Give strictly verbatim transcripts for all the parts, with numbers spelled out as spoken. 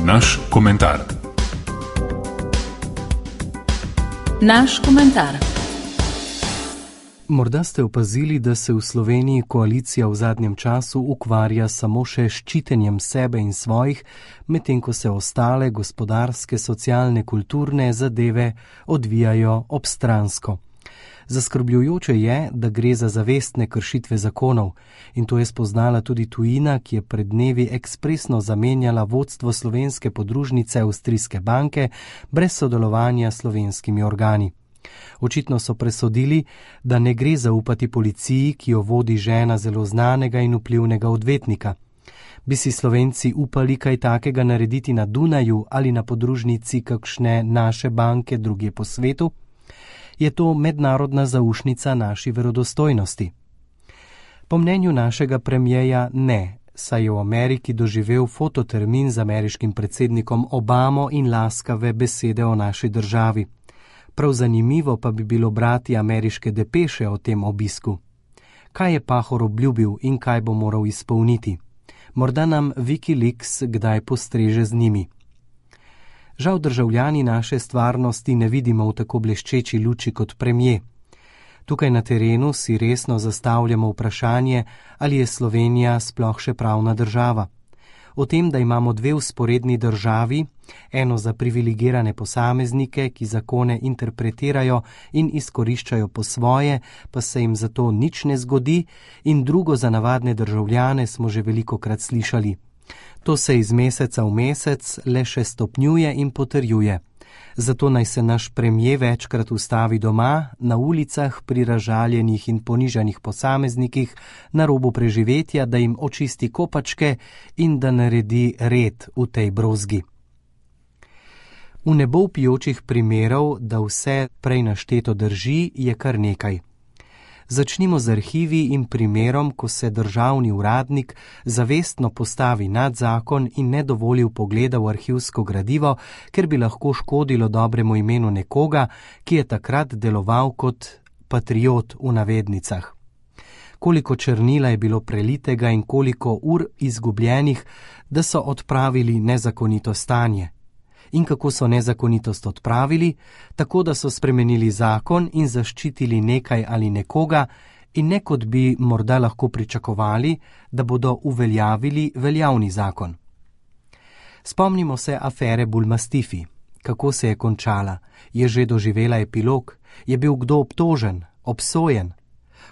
Naš komentar. Naš komentar. Morda ste opazili, da se v Sloveniji koalicija v zadnjem času ukvarja samo še s ščitenjem sebe in svojih, medtem ko se ostale gospodarske, socialne, kulturne zadeve odvijajo obstransko. Zaskrbljujoče je, da gre za zavestne kršitve zakonov, in to je spoznala tudi tujina, ki je pred dnevi ekspresno zamenjala vodstvo slovenske podružnice Avstrijske banke brez sodelovanja s slovenskimi organi. Očitno so presodili, da ne gre zaupati policiji, ki jo vodi žena zelo znanega in vplivnega odvetnika. Bi si Slovenci upali kaj takega narediti na Dunaju ali na podružnici kakšne naše banke drugje po svetu? Je to mednarodna zaušnica naši verodostojnosti? Po mnenju našega premijeja ne, saj je v Ameriki doživel fototermin z ameriškim predsednikom Obamo in laskave besede o naši državi. Prav zanimivo pa bi bilo brati ameriške depeše o tem obisku. Kaj je Pahor obljubil in kaj bo moral izpolniti? Morda nam Wikileaks kdaj postreže z njimi. Žal državljani naše stvarnosti ne vidimo v tako bleščeči luči kot premier. Tukaj na terenu si resno zastavljamo vprašanje, ali je Slovenija sploh še pravna država. O tem, da imamo dve vzporedni državi, eno za privilegirane posameznike, ki zakone interpretirajo in izkoriščajo po svoje, pa se jim zato nič ne zgodi, in drugo za navadne državljane smo že velikokrat slišali. To se iz meseca v mesec le še stopnjuje in potrjuje. Zato naj se naš premier večkrat ustavi doma, na ulicah pri razžaljenih in ponižanih posameznikih, na robu preživetja, da jim očisti kopačke in da naredi red v tej brozgi. V nebo vpijočih primerov, da vse prej našteto drži, je kar nekaj. Začnimo z arhivi in primerom, ko se državni uradnik zavestno postavi nad zakon in ne dovoli vpogleda v arhivsko gradivo, ker bi lahko škodilo dobremu imenu nekoga, ki je takrat deloval kot patriot v navednicah. Koliko črnila je bilo prelitega in koliko ur izgubljenih, da so odpravili nezakonito stanje. In kako so nezakonitost odpravili, tako da so spremenili zakon in zaščitili nekaj ali nekoga, in ne kot bi morda lahko pričakovali, da bodo uveljavili veljavni zakon. Spomnimo se afere Bulmastifi. Kako se je končala? Je že doživela epilog? Je bil kdo obtožen, obsojen?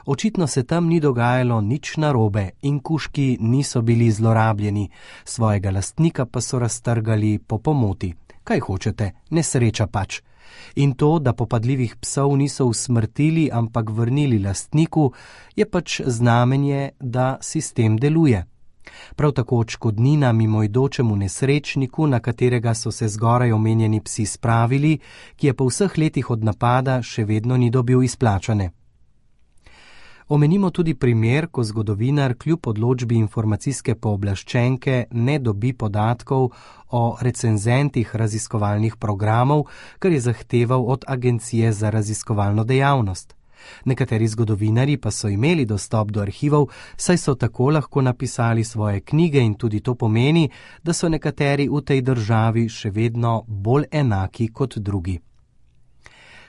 Očitno se tam ni dogajalo nič narobe in kužki niso bili zlorabljeni, svojega lastnika pa so raztrgali po pomoti. Kaj hočete, nesreča pač. In to, da popadljivih psov niso usmrtili, ampak vrnili lastniku, je pač znamenje, da sistem deluje. Prav tako odškodnina mimoidočemu nesrečniku, na katerega so se zgoraj omenjeni psi spravili, ki je po vseh letih od napada še vedno ni dobil izplačane. Omenimo tudi primer, ko zgodovinar kljub odločbi informacijske pooblaščenke ne dobi podatkov o recenzentih raziskovalnih programov, kar je zahteval od Agencije za raziskovalno dejavnost. Nekateri zgodovinarji pa so imeli dostop do arhivov, saj so tako lahko napisali svoje knjige, in tudi to pomeni, da so nekateri v tej državi še vedno bolj enaki kot drugi.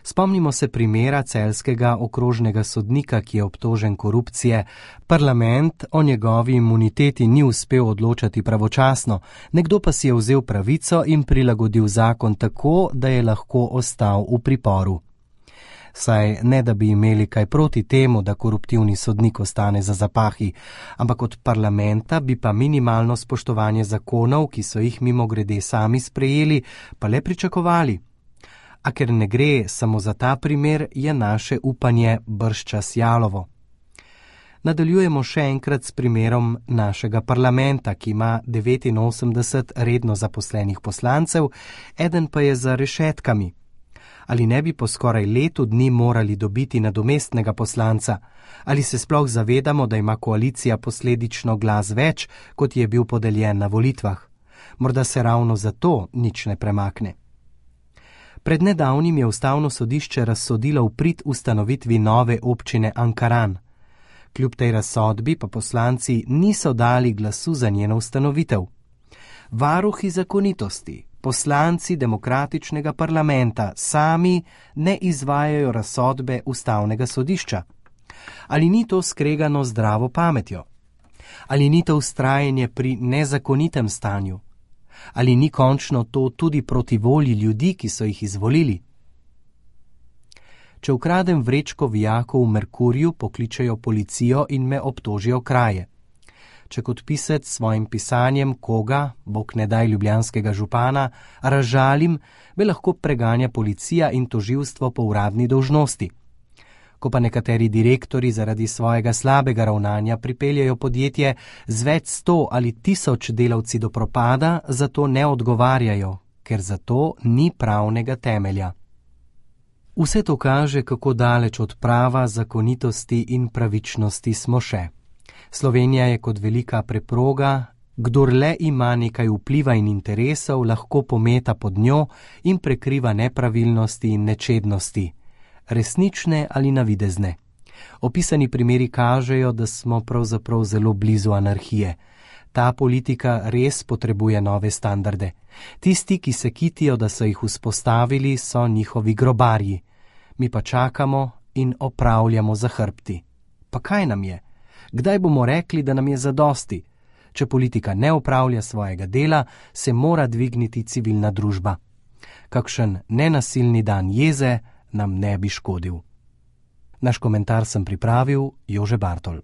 Spomnimo se primera celjskega okrožnega sodnika, ki je obtožen korupcije. Parlament o njegovi imuniteti ni uspel odločati pravočasno, nekdo pa si je vzel pravico in prilagodil zakon tako, da je lahko ostal v priporu. Saj ne, da bi imeli kaj proti temu, da koruptivni sodnik ostane za zapahi, ampak od parlamenta bi pa minimalno spoštovanje zakonov, ki so jih mimogrede sami sprejeli, pa le pričakovali. A ker ne gre samo za ta primer, je naše upanje bržčas jalovo. Nadaljujemo še enkrat s primerom našega parlamenta, ki ima devetinosemdeset redno zaposlenih poslancev, eden pa je za rešetkami. Ali ne bi po skoraj letu dni morali dobiti nadomestnega poslanca? Ali se sploh zavedamo, da ima koalicija posledično glas več, kot je bil podeljen na volitvah? Morda se ravno zato nič ne premakne. Pred nedavnim je ustavno sodišče razsodilo v prid ustanovitvi nove občine Ankaran. Kljub tej razsodbi pa poslanci niso dali glasu za njeno ustanovitev. Varuhi zakonitosti, poslanci demokratičnega parlamenta sami ne izvajajo razsodbe ustavnega sodišča. Ali ni to skregano zdravo pametjo? Ali ni to vztrajanje pri nezakonitem stanju? Ali ni končno to tudi proti volji ljudi, ki so jih izvolili? Če ukradem vrečko vijakov v Merkurju, pokličejo policijo in me obtožijo kraje. Če kot pisec svojim pisanjem koga, bog ne daj ljubljanskega župana, razžalim, me lahko preganja policija in tožilstvo po uradni dolžnosti. Ko pa nekateri direktori zaradi svojega slabega ravnanja pripeljajo podjetje z več sto ali tisoč delavci do propada, zato ne odgovarjajo, ker za to ni pravnega temelja. Vse to kaže, kako daleč od prava, zakonitosti in pravičnosti smo še. Slovenija je kot velika preproga, kdor le ima nekaj vpliva in interesov, lahko pometa pod njo in prekriva nepravilnosti in nečednosti, resnične ali navidezne. Opisani primeri kažejo, da smo pravzaprav zelo blizu anarhije. Ta politika res potrebuje nove standarde. Tisti, ki se kitijo, da so jih vzpostavili, so njihovi grobarji. Mi pa čakamo in opravljamo za hrbti. Pa kaj nam je? Kdaj bomo rekli, da nam je zadosti? Če politika ne opravlja svojega dela, se mora dvigniti civilna družba. Kakšen nenasilni dan jeze nam ne bi škodil. Naš komentar sem pripravil Jože Bartol.